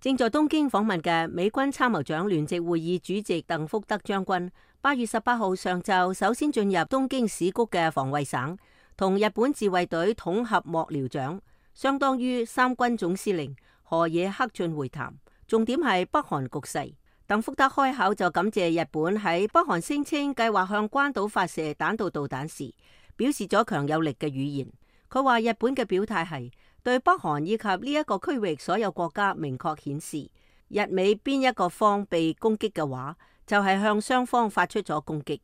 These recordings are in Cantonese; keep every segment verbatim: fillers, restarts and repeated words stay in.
正在東京訪問嘅美軍參謀長聯席會議主席鄧福德將軍，八月十八號上晝首先進入東京市谷嘅防衛省，同日本自衛隊統合幕僚長，相當於三軍總司令河野克俊會談，重點係北韓局勢。鄧福德開口就感謝日本喺北韓聲稱計劃向關島發射彈道導彈時，表示咗強有力嘅語言。佢話日本嘅表態係對北韓以及呢一個區域所有國家明確顯示，日美邊一個方被攻擊嘅話，就係向雙方發出咗攻擊。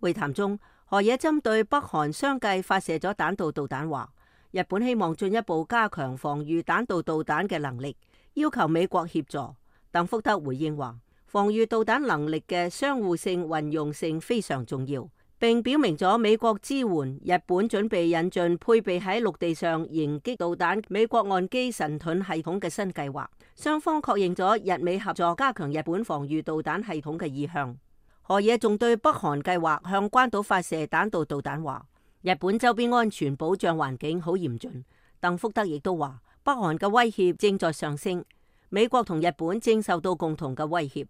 會談中，河野針對北韓相繼發射咗彈道導彈話，日本希望進一步加強防禦彈道導彈嘅能力，要求美國協助。鄧福德回應話，防禦導彈能力嘅相互性運用性非常重要，並表明咗美國支援日本準備引進配備喺陸地上迎擊導彈美國岸基神盾系統嘅新計劃。雙方確認咗日美合作加強日本防禦導彈系統嘅意向。河野仲對北韓計劃向關島發射彈道導彈話，日本周邊安全保障環境好嚴峻。鄧福德亦都話，北韓嘅威脅正在上升，美國同日本正受到共同嘅威脅。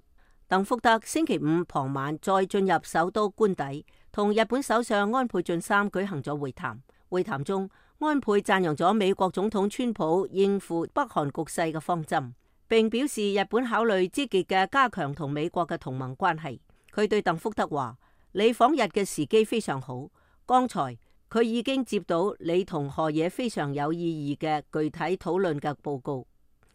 鄧福德星期五傍晚再進入首都官邸，同日本首相安倍晉三舉行咗會談。會談中，安倍讚揚咗美國總統川普應付北韓局勢嘅方針，並表示日本考慮積極嘅加強同美國嘅同盟關係。佢對鄧福德話，你訪日嘅時機非常好，剛才佢已經接到你同河野非常有意義嘅具體討論嘅報告。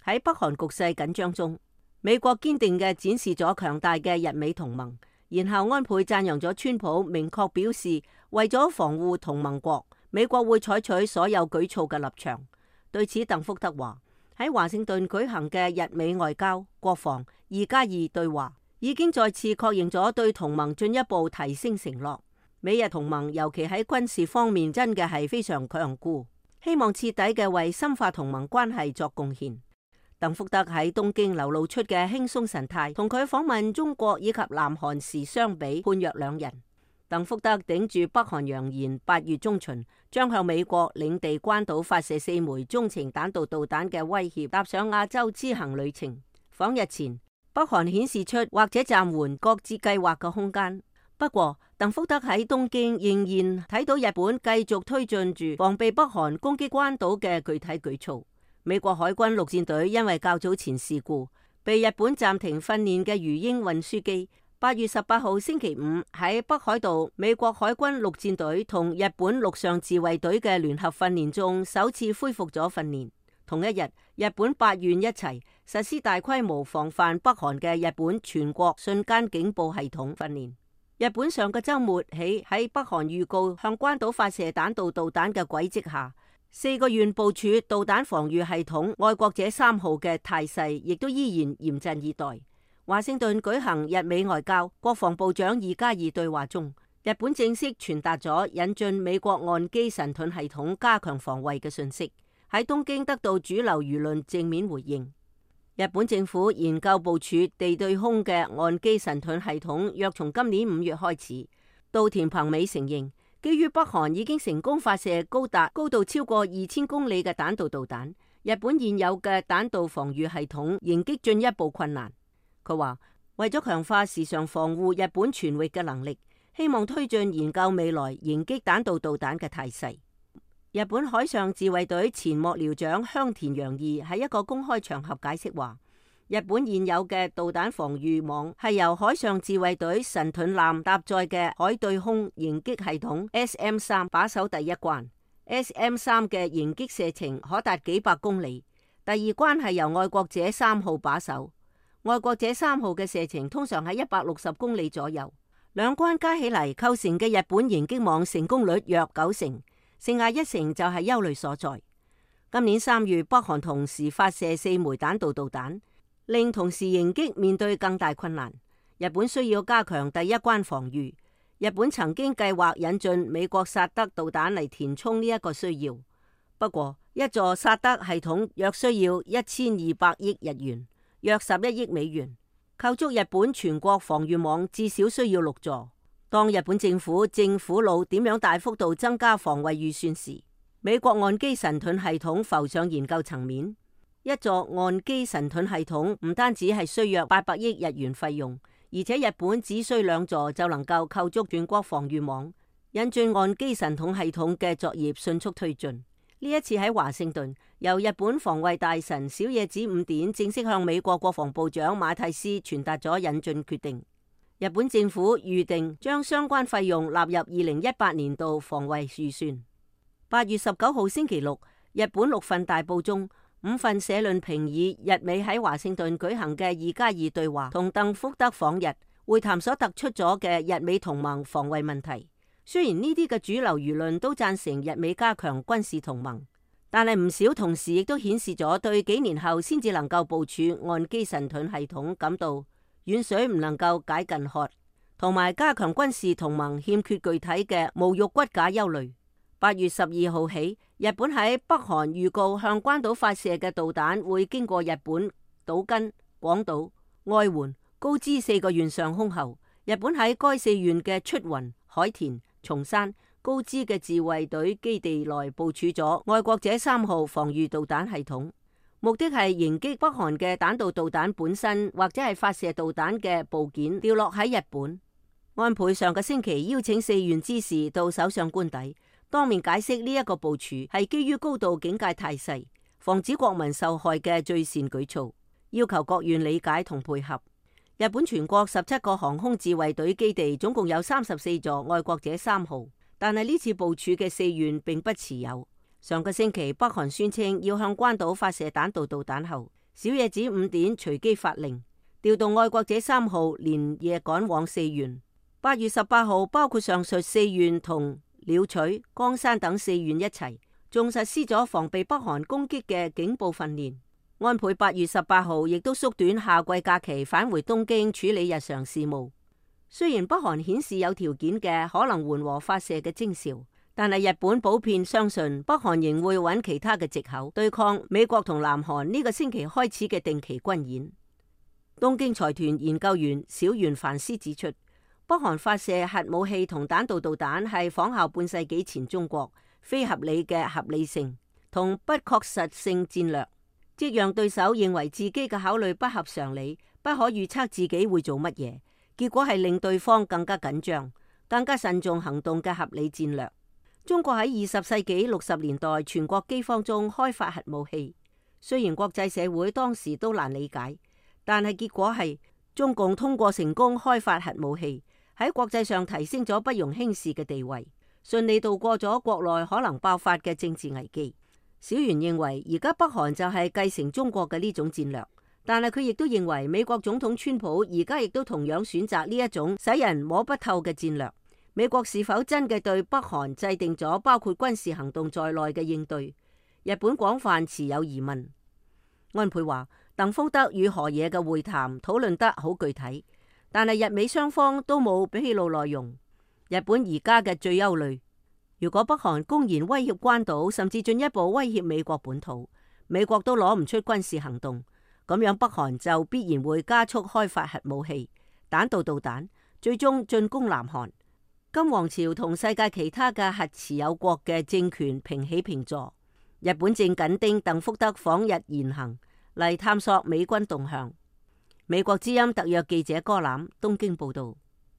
喺北韓局勢緊張中，美國堅定嘅展示咗強大嘅日美同盟。然後安倍讚揚咗川普明確表示，為咗防護同盟國，美國會採取所有舉措嘅立場。對此，鄧福德話，喺華盛頓舉行嘅日美外交、國防二加二對話，已經再次確認咗對同盟進一步提升承諾。美日同盟尤其喺軍事方面真嘅係非常強固，希望徹底嘅為深化同盟關係作貢獻。鄧福德喺東京流露出嘅輕鬆神態，同佢訪問中國以及南韓時相比，判若兩人。鄧福德頂住北韓揚言八月中旬將向美國領地關島發射四枚中程彈道導彈嘅威脅，踏上亞洲之行旅程。訪日前，北韓顯示出或者暫緩各自計劃嘅空間。不過，鄧福德喺東京仍然睇到日本繼續推進住防備北韓攻擊關島嘅具體舉措。美國海軍陸戰隊因為較早前事故被日本暫停訓練嘅魚鷹運輸機，八月十八號星期五喺北海道美國海軍陸戰隊同日本陸上自衛隊嘅聯合訓練中首次恢復咗訓練。同一日，日本八縣一齊實施大規模防範北韓嘅日本全國瞬間警報系統訓練。日本上個週末起喺北韓預告向關島發射彈道導彈嘅軌跡下，四個縣部署導彈防禦系統愛國者三號嘅態勢，亦都依然嚴陣以待。華盛頓舉行日美外交、國防部長二加二對話中，日本正式傳達咗引進美國岸基神盾系統加強防衛嘅訊息，喺東京得到主流輿論正面回應。日本政府研究部署地對空嘅岸基神盾系統，約從今年五月開始。稻田朋美承認，基於北韓已經成功發射高達高度超過二千公里嘅彈道導彈，日本現有嘅彈道防禦系統迎擊進一步困難。佢話為咗強化時常防護日本全域嘅能力，希望推進研究未來迎擊彈道導彈嘅態勢。日本海上自衛隊前幕僚長香田洋二喺一個公開場合解釋話，日本現有嘅導彈防禦網係由海上自衛隊神盾艦搭載嘅海對空迎擊系統 S M 三把守第一關。S M 三嘅迎擊射程可達幾百公里。第二關係由愛國者三號把守。愛國者三號嘅射程通常喺一百六十公里左右。兩關加起嚟構成嘅日本迎擊網成功率約九成。剩下一成就係憂慮所在。今年三月，北韓同時發射四枚彈道導彈，令同時迎擊面對更大困難。日本需要加強第一關防禦。日本曾經計劃引進美國薩德導彈嚟填充呢一個需要。不過，一座薩德系統約需要一千二百億日元，約十一億美元，構築日本全國防禦網至少需要六座。當日本政府政府腦點樣大幅度增加防衛預算時，美國岸基神盾系統浮上研究層面。一座岸基神盾系統唔單止係需約八百億日元費用，而且日本只需兩座就能夠構築全國防禦網。引進岸基神盾系統嘅作業迅速推進。呢一次喺華盛頓，由日本防衛大臣小野寺五典正式向美國國防部長馬蒂斯傳達咗引進決定。日本政府預定將相關費用納入二零一八年度防衛預算。八月十九號星期六，日本六份大報中，五份社論評議日美喺華盛頓舉行嘅二加二對話同鄧福德訪日會談所突出咗嘅日美同盟防衛問題。雖然呢啲嘅主流輿論都贊成日美加強軍事同盟，但係唔少同時亦都顯示咗對幾年後先至能夠部署岸基神盾系統感到遠水唔能夠解近渴，同埋加強軍事同盟欠缺具體嘅無肉骨架憂慮。八月十二號起，日本喺北韓預告向關島發射嘅導彈會經過日本島根、廣島、愛媛、高知四個縣上空後，日本喺該四縣嘅出雲、海田、松山、高知嘅自衛隊基地內部署咗愛國者三號防禦導彈系統，目的係迎擊北韓嘅彈道導彈本身或者係發射導彈嘅部件掉落喺日本。安倍上個星期邀請四縣知事到首相官邸，當面解釋呢一個部署係基於高度警戒態勢，防止國民受害嘅最善舉措，要求各縣理解同配合。日本全國十七個航空自衛隊基地總共有三十四座愛國者三號，但係呢次部署嘅四縣並不持有。上個星期北韓宣稱要向關島發射彈道導彈後，小野寺五典隨機發令調動愛國者三號連夜趕往四縣。八月十八號，包括上述四縣同鳥取、江山等四縣一齊，仲實施咗防備北韓攻擊嘅警報訓練。安倍八月十八號亦都縮短夏季假期返回東京處理日常事務。雖然北韓顯示有條件嘅可能緩和發射嘅徵兆，但係日本普遍相信北韓仍會揾其他嘅藉口對抗美國同南韓呢個星期開始嘅定期軍演。東京財團研究員小原凡斯指出，北韓發射核武器同彈道導彈係仿效半世紀前中國非合理嘅合理性同不確實性戰略，即讓對手認為自己嘅考慮不合常理，不可預測自己會做乜嘢，結果係令對方更加緊張、更加慎重行動嘅合理戰略。中國喺二十世紀六十年代全國饑荒中開發核武器，雖然國際社會當時都難理解，但係結果係中共通過成功開發核武器，喺國際上提升咗不容輕視嘅地位，順利度過咗國內可能爆發嘅政治危機。小袁認為而家北韓就係繼承中國嘅呢種戰略，但係佢亦都認為美國總統川普而家亦都同樣選擇呢一種使人摸不透嘅戰略。美國是否真嘅對北韓制定咗包括軍事行動在內嘅應對？日本廣泛持有疑問。安倍話，鄧福德與河野嘅會談討論得好具體，但係日美雙方都冇披露內容。日本而家嘅最憂慮，如果北韓公然威脅關島，甚至進一步威脅美國本土，美國都攞唔出軍事行動，咁樣北韓就必然會加速開發核武器、彈道導彈，最終進攻南韓。金王朝同世界其他嘅核持有國嘅政權平起平坐。日本正緊盯鄧福德訪日言行嚟探索美軍動向。美國之音特約記者柯攬東京報道。